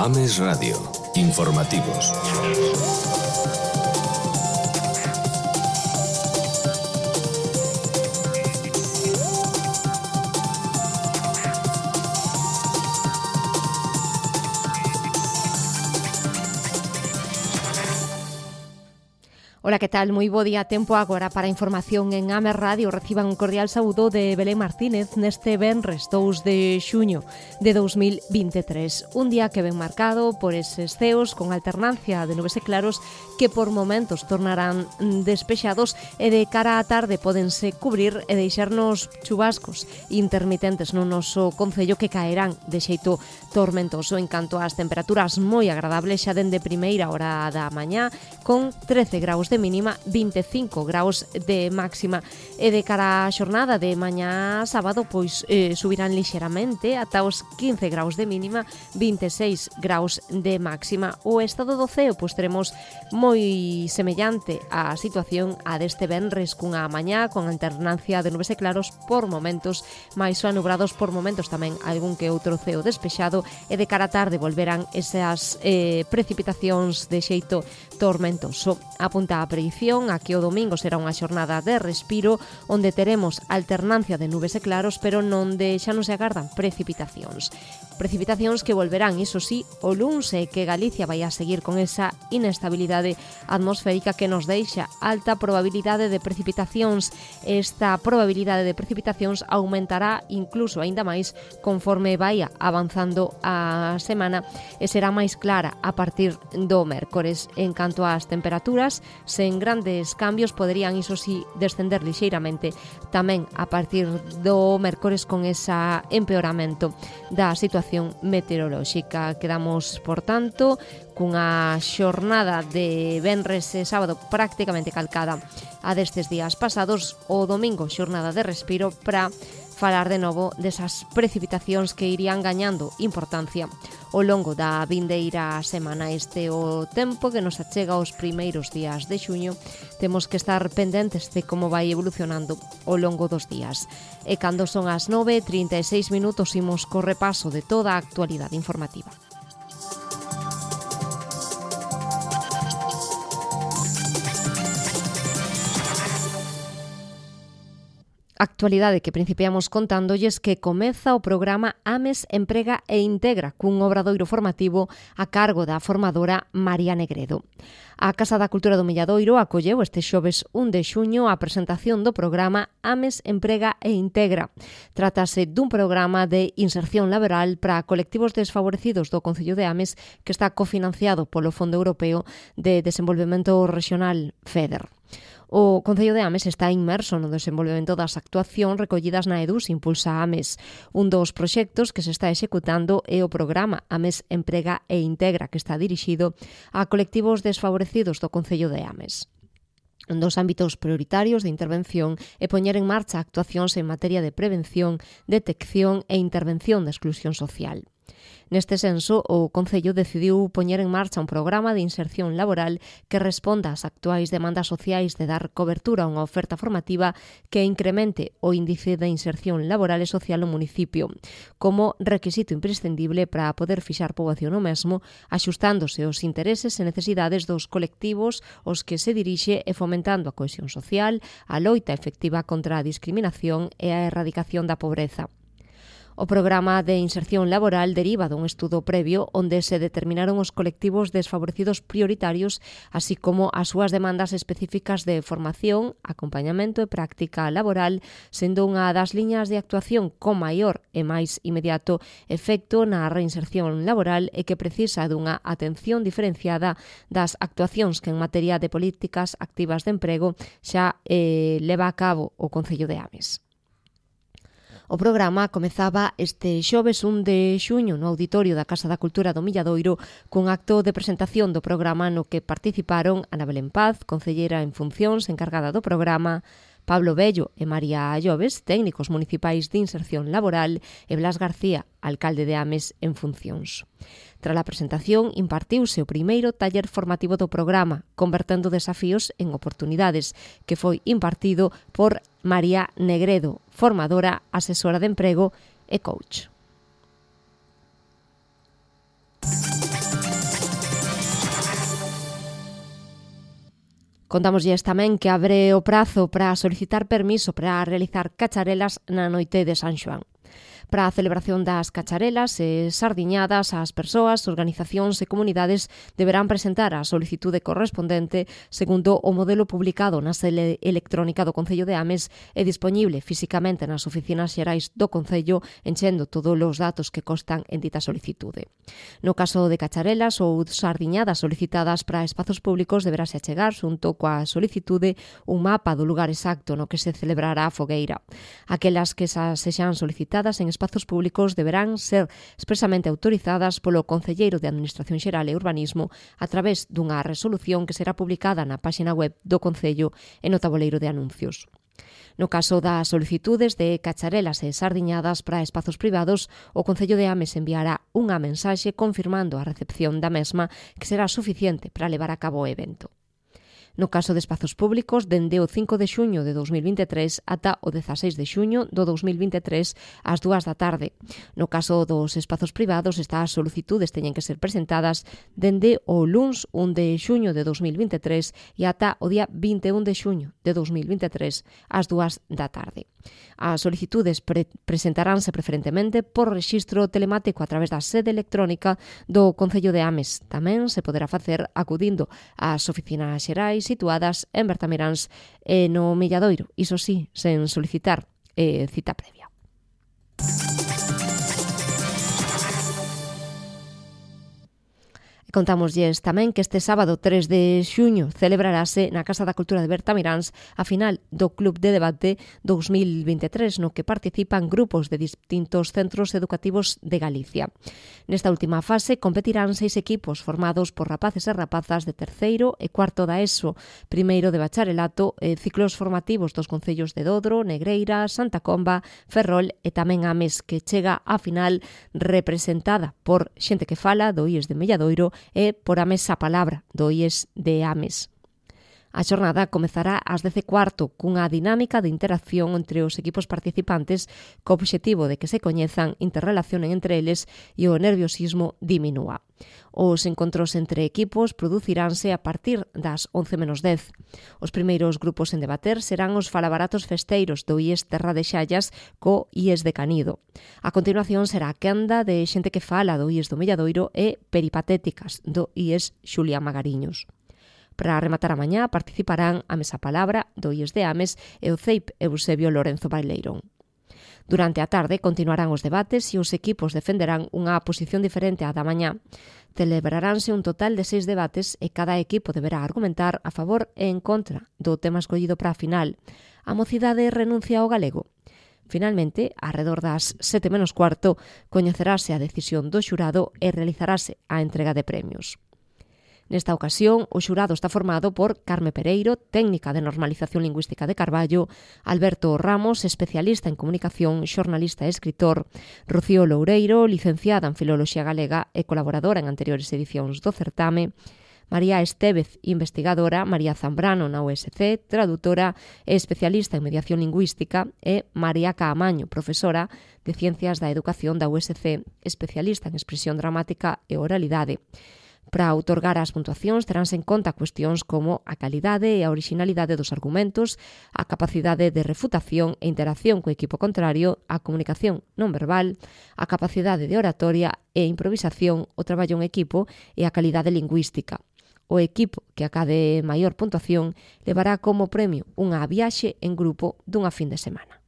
Ames Radio. Informativos. Ola, que tal? Moi bo día, tempo agora para información en Ames Radio. Reciban un cordial saúdo de Belén Martínez neste venres 2 de xuño de 2023. Un día que ven marcado por eses ceos con alternancia de nubes e claros que por momentos tornarán despexados e de cara á tarde pódense cubrir e deixarnos chubascos intermitentes no noso concello que caerán de xeito tormentoso. En canto ás temperaturas moi agradables xa dende primeira hora da mañá con 13 graus de mínima, 25 graus de máxima, e de cara á xornada de mañá sábado pois subirán lixeramente ata os 15 graus de mínima, 26 graus de máxima. O estado do ceo pois teremos moi semellante á situación a deste venres, cunha mañá con alternancia de nubes e claros por momentos, máis anubrados por momentos, tamén algún que outro ceo despexado, e de cara á tarde volverán esas precipitacións de xeito tormentoso. Apunta a predición a que o domingo será unha xornada de respiro onde teremos alternancia de nubes e claros, pero onde xa non se agardan precipitacións. Precipitacións que volverán, iso sí, o luns, e que Galicia vai a seguir con esa inestabilidade atmosférica que nos deixa alta probabilidade de precipitacións. Esta probabilidade de precipitacións aumentará incluso aínda máis conforme vai avanzando a semana e será máis clara a partir do mércores. En canto ás temperaturas, sen grandes cambios, poderían, iso sí, descender lixeiramente tamén a partir do mércores con ese empeoramento da situación meteorolóxica. Quedamos, por tanto, cunha xornada de venres e sábado prácticamente calcada a destes días pasados. O domingo, xornada de respiro para falar de novo desas precipitacións que irían gañando importancia ao longo da vindeira semana. Este o tempo que nos achega aos primeiros días de xuño. Temos que estar pendentes de como vai evolucionando ao longo dos días. E cando son as 9:36 minutos, imos co repaso de toda a actualidade informativa. Actualidade que principiamos contándolles que comeza o programa Ames Emprega e Integra, cun obradoiro formativo a cargo da formadora María Negredo. A Casa da Cultura do Milladoiro acolleu este xoves 1 de xuño a presentación do programa Ames Emprega e Integra. Trátase dun programa de inserción laboral para colectivos desfavorecidos do Concello de Ames que está cofinanciado polo Fondo Europeo de Desenvolvemento Regional FEDER. O Concello de Ames está inmerso no desenvolvemento das actuacións recollidas na EDUS Impulsa Ames. Un dos proxectos que se está executando é o programa Ames Emprega e Integra, que está dirixido a colectivos desfavorecidos do Concello de Ames. Un dos ámbitos prioritarios de intervención é poñer en marcha actuacións en materia de prevención, detección e intervención da exclusión social. Neste senso, o Concello decidiu poñer en marcha un programa de inserción laboral que responda ás actuais demandas sociais de dar cobertura a unha oferta formativa que incremente o índice de inserción laboral e social no municipio, como requisito imprescindible para poder fixar poboación no mesmo, axustándose aos intereses e necesidades dos colectivos aos que se dirixe e fomentando a cohesión social, a loita efectiva contra a discriminación e a erradicación da pobreza. O programa de inserción laboral deriva dun estudo previo onde se determinaron os colectivos desfavorecidos prioritarios, así como as súas demandas específicas de formación, acompañamento e práctica laboral, sendo unha das liñas de actuación con maior e máis inmediato efecto na reinserción laboral e que precisa dunha atención diferenciada das actuacións que en materia de políticas activas de emprego xa leva a cabo o Concello de Ames. O programa comezaba este xoves 1 de xuño no auditorio da Casa da Cultura do Milladoiro cun acto de presentación do programa no que participaron Ana Belén Paz, concellera en funcións encargada do programa, Pablo Bello e María Lloves, técnicos municipais de inserción laboral, e Blas García, alcalde de Ames en funcións. Tras a presentación, impartiuse o primeiro taller formativo do programa, convertendo desafíos en oportunidades, que foi impartido por María Negredo, formadora, asesora de emprego e coach. Contámoslles tamén que abre o prazo para solicitar permiso para realizar cacharelas na noite de San Xoán. Para a celebración das cacharelas e sardiñadas, as persoas, organizacións e comunidades deberán presentar a solicitude correspondente segundo o modelo publicado na sede electrónica do Concello de Ames e dispoñible fisicamente nas oficinas xerais do Concello, enchendo todos os datos que constan en dita solicitude. No caso de cacharelas ou sardiñadas solicitadas para espazos públicos, deberase achegar, xunto coa solicitude, un mapa do lugar exacto no que se celebrará a fogueira. Aquelas que sexan solicitadas en espazos públicos deberán ser expresamente autorizadas polo Concelleiro de Administración Xeral e Urbanismo a través dunha resolución que será publicada na páxina web do Concello e no tabuleiro de anuncios. No caso das solicitudes de cacharelas e sardiñadas para espazos privados, o Concello de Ames enviará unha mensaxe confirmando a recepción da mesma, que será suficiente para levar a cabo o evento. No caso de espazos públicos, dende o 5 de xuño de 2023 ata o 16 de xuño do 2023 ás 2 da tarde. No caso dos espazos privados, estas solicitudes teñen que ser presentadas dende o luns 1 de xuño de 2023 e ata o día 21 de xuño de 2023 ás 2 da tarde. As solicitudes presentaránse preferentemente por rexistro telemático a través da sede electrónica do Concello de Ames. Tamén se poderá facer acudindo ás oficinas xerais situadas en Bertamiráns e no Milladoiro, iso sí, sen solicitar cita previa. Contámoslles tamén que este sábado 3 de xuño celebrarase na Casa da Cultura de Bertamiráns a final do Club de Debate 2023, no que participan grupos de distintos centros educativos de Galicia. Nesta última fase competirán 6 equipos formados por rapaces e rapazas de terceiro e cuarto da ESO, primeiro de bacharelato e ciclos formativos dos concellos de Dodro, Negreira, Santa Comba, Ferrol e tamén Ames, que chega á final representada por xente que fala do IES de Milladoiro e por Ames a Palabra, do IES de Ames. A xornada comezará ás 10:15 cunha dinámica de interacción entre os equipos participantes co obxectivo de que se coñezan, interrelacionen entre eles e o nerviosismo diminúa. Os encontros entre equipos produciránse a partir das 11:10. Os primeiros grupos en debater serán os falabaratos festeiros do IES Terra de Xallas co IES de Canido. A continuación será a quenda de xente que fala do IES do Milladoiro e peripatéticas do IES Xulia Magariños. Para rematar a mañá participarán a Mesa Palabra do IES de Ames e o CEIP Eusebio Lorenzo Baileirón. Durante a tarde continuarán os debates e os equipos defenderán unha posición diferente á da mañá. Celebraránse un total de 6 debates e cada equipo deberá argumentar a favor e en contra do tema escollido para a final. A mocidade renuncia ao galego. Finalmente, arredor das 7:15, coñecerase a decisión do xurado e realizarase a entrega de premios. Nesta ocasión, o xurado está formado por Carme Pereiro, técnica de normalización lingüística de Carballo, Alberto Ramos, especialista en comunicación, xornalista e escritor, Rocío Loureiro, licenciada en Filoloxía Galega e colaboradora en anteriores edicións do certame, María Estévez, investigadora, María Zambrano na USC, traductora e especialista en mediación lingüística, e María Caamaño, profesora de Ciencias da Educación da USC, especialista en expresión dramática e oralidade. Para outorgar as puntuacións teránse en conta cuestións como a calidade e a orixinalidade dos argumentos, a capacidade de refutación e interacción co equipo contrario, a comunicación non verbal, a capacidade de oratoria e improvisación, o traballo en equipo e a calidade lingüística. O equipo que acade maior puntuación levará como premio unha viaxe en grupo dunha fin de semana.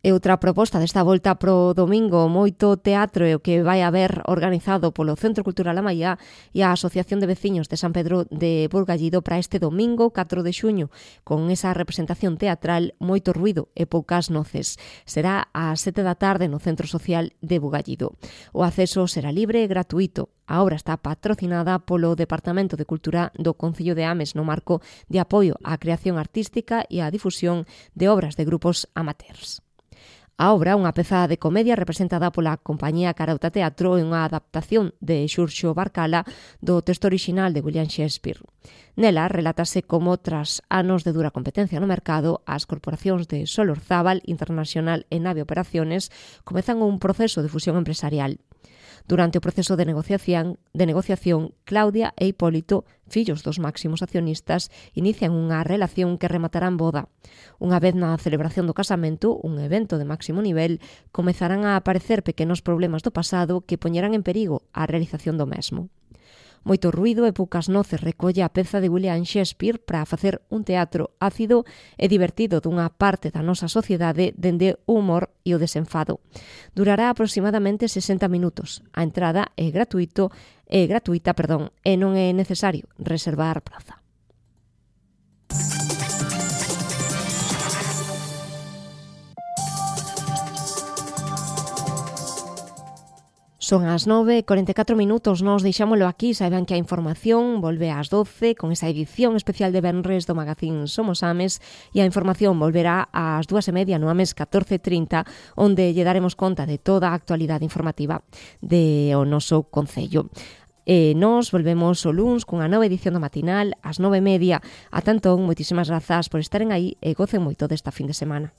E outra proposta desta volta pro domingo, moito teatro e o que vai haber organizado polo Centro Cultural Amaiá e a Asociación de Veciños de San Pedro de Burgallido para este domingo 4 de xuño, con esa representación teatral Moito ruido e poucas noces. Será ás 7 da tarde no Centro Social de Bugallido. O acceso será libre e gratuito. A obra está patrocinada polo Departamento de Cultura do Concello de Ames no marco de apoio á creación artística e á difusión de obras de grupos amateurs. A obra, unha peza de comedia representada pola compañía Carauta Teatro, é unha adaptación de Xurxo Barcala do texto orixinal de William Shakespeare. Nela relátase como, tras anos de dura competencia no mercado, as corporacións de Solorzábal, Internacional e Nave Operaciones comezan un proceso de fusión empresarial. Durante o proceso de negociación, Claudia e Hipólito, fillos dos máximos accionistas, inician unha relación que rematará en boda. Unha vez na celebración do casamento, un evento de máximo nivel, comezarán a aparecer pequenos problemas do pasado que poñerán en perigo a realización do mesmo. Moito ruído e poucas noces recolle a peza de William Shakespeare para facer un teatro ácido e divertido dunha parte da nosa sociedade dende o humor e o desenfado. Durará aproximadamente 60 minutos. A entrada é gratuita, e non é necesario reservar praza. Son as 9:44 minutos, nos deixámolo aquí, saiban que a información volve ás 12 con esa edición especial de venres do magazín Somos Ames e a información volverá ás 2:30 no Ames 14:30 onde lle daremos conta de toda a actualidade informativa do noso concello. E nos volvemos o luns cunha nova edición do matinal ás 9:30. Ata entón, moitísimas grazas por estaren aí e gocen moito desta fin de semana.